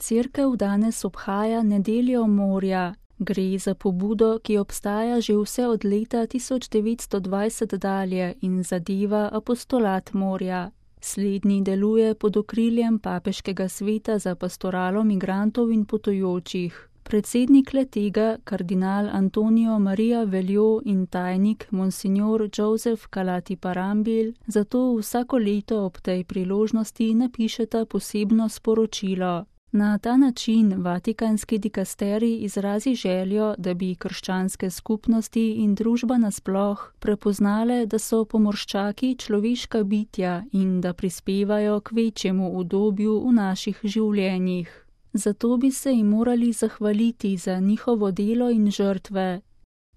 Cerkev danes obhaja Nedeljo morja. Gre za pobudo, ki obstaja že vse od leta 1920 dalje in zadeva apostolat morja. Slednji deluje pod okriljem Papeškega sveta za pastoralo migrantov in potujočih. Predsednik le-tega, kardinal Antonio Maria Veljo in tajnik monsignor Joseph Calati Parambil, zato vsako leto ob tej priložnosti napišeta posebno sporočilo. Na ta način vatikanski dikasterij izrazi željo, da bi krščanske skupnosti in družba nasploh prepoznale, da so pomorščaki človeška bitja in da prispevajo k večjemu udobju v naših življenjih. Zato bi se jim morali zahvaliti za njihovo delo in žrtve.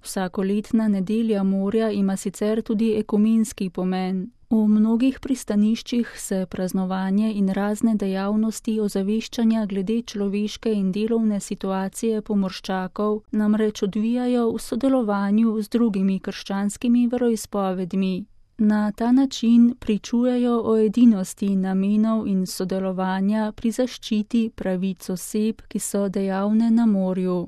Vsakoletna Nedelja morja ima sicer tudi ekumenski pomen. V mnogih pristaniščih se praznovanje in razne dejavnosti ozaveščanja glede človeške in delovne situacije pomorščakov namreč odvijajo v sodelovanju z drugimi krščanskimi veroizpovedmi. Na ta način pričujejo o edinosti namenov in sodelovanja pri zaščiti pravic oseb, ki so dejavne na morju.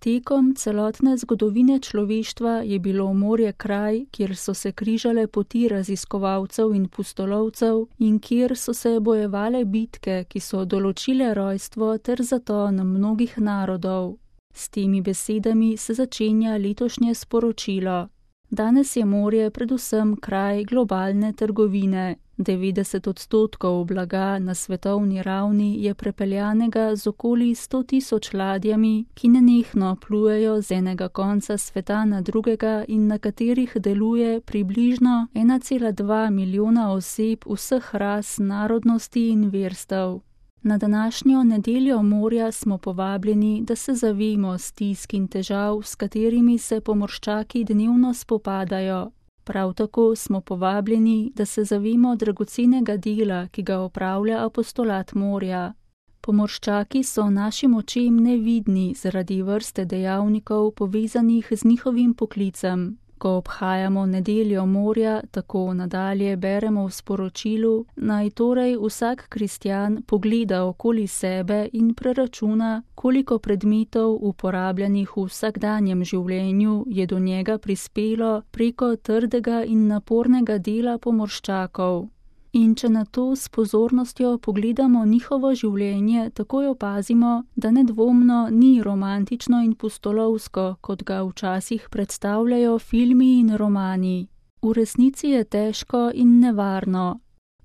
Tekom celotne zgodovine človeštva je bilo morje kraj, kjer so se križale poti raziskovalcev in pustolovcev in kjer so se bojevale bitke, ki so določile rojstvo ter zaton mnogih narodov. S temi besedami se začenja letošnje sporočilo. Danes je morje predvsem kraj globalne trgovine. 90% blaga na svetovni ravni je prepeljanega z okoli 100.000 ladjami, ki nenehno plujejo z enega konca sveta na drugega in na katerih deluje približno 1,2 milijona oseb vseh ras, narodnosti in verstev. Na današnjo Nedeljo morja smo povabljeni, da se zavemo stisk in težav, s katerimi se pomorščaki dnevno spopadajo. Prav tako smo povabljeni, da se zavemo dragocenega dela, ki ga opravlja apostolat morja. Pomorščaki so našim očem nevidni zaradi vrste dejavnikov povezanih z njihovim poklicem. Ko obhajamo Nedeljo morja, tako nadalje beremo v sporočilu, naj torej vsak kristjan pogleda okoli sebe in preračuna, koliko predmetov uporabljanih v vsakdanjem življenju je do njega prispelo preko trdega in napornega dela pomorščakov. In če na to s pozornostjo pogledamo njihovo življenje, takoj opazimo, da nedvomno ni romantično in pustolovsko, kot ga včasih predstavljajo filmi in romani. V resnici je težko in nevarno.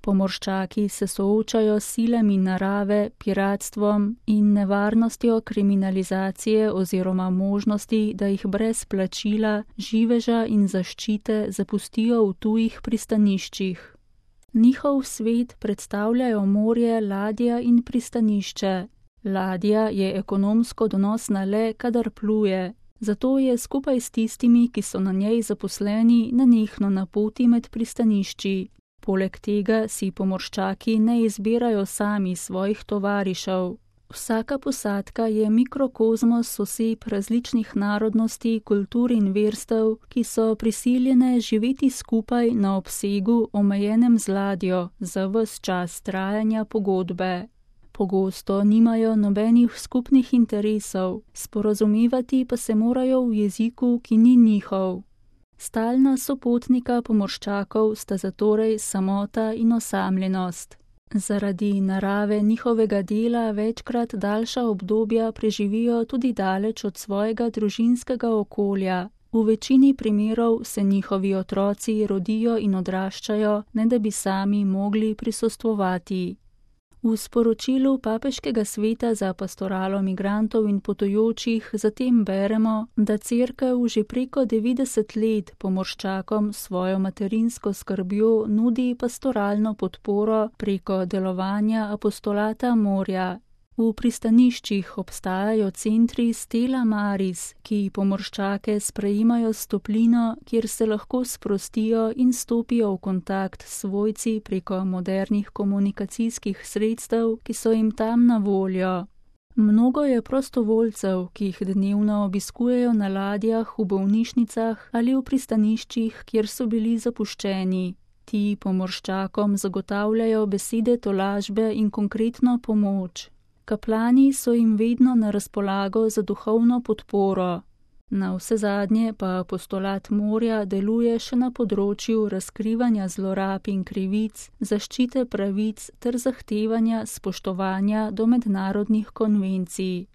Pomorščaki se soočajo s silami narave, piratstvom in nevarnostjo kriminalizacije oziroma možnosti, da jih brez plačila, živeža in zaščite zapustijo v tujih pristaniščih. Njihov svet predstavljajo morje, ladja in pristanišče. Ladja je ekonomsko donosna le, kadar pluje, zato je skupaj s tistimi, ki so na njej zaposleni, nenehno na poti med pristanišči. Poleg tega si pomorščaki ne izbirajo sami svojih tovarišev. Vsaka posadka je mikrokozmos oseb različnih narodnosti, kultur in verstev, ki so prisiljene živeti skupaj na obsegu omejenem z ladjo za ves čas trajanja pogodbe. Pogosto nimajo nobenih skupnih interesov, sporazumevati pa se morajo v jeziku, ki ni njihov. Stalna sopotnika pomorščakov sta zatorej samota in osamljenost. Zaradi narave njihovega dela večkrat daljša obdobja preživijo tudi daleč od svojega družinskega okolja. V večini primerov se njihovi otroci rodijo in odraščajo, ne da bi sami mogli prisostvovati. V sporočilu Papeškega sveta za pastoralo migrantov in potujočih zatem beremo, da Cerkev že preko 90 let pomorščakom svojo materinsko skrbjo nudi pastoralno podporo preko delovanja apostolata morja. V pristaniščih obstajajo centri Stella Maris, ki pomorščake sprejemajo s toplino, kjer se lahko sprostijo in stopijo v kontakt s svojci preko modernih komunikacijskih sredstev, ki so jim tam na voljo. Mnogo je prostovoljcev, ki jih dnevno obiskujejo na ladjah, v bolnišnicah ali v pristaniščih, kjer so bili zapuščeni. Ti pomorščakom zagotavljajo besede tolažbe in konkretno pomoč. Kaplani so jim vedno na razpolago za duhovno podporo. Navsezadnje pa apostolat morja deluje še na področju razkrivanja zlorab in krivic, zaščite pravic ter zahtevanja spoštovanja do mednarodnih konvencij.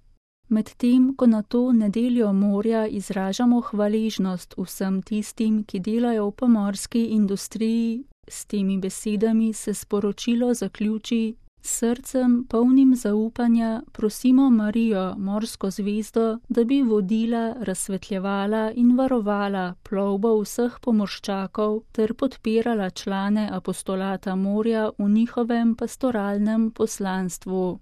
Medtem ko na to nedeljo morja izražamo hvaležnost vsem tistim, ki delajo v pomorski industriji, s temi besedami se sporočilo zaključi: S srcem polnim zaupanja prosimo Marijo, morsko zvezdo, da bi vodila, razsvetljevala in varovala plovbo vseh pomorščakov ter podpirala člane apostolata morja v njihovem pastoralnem poslanstvu.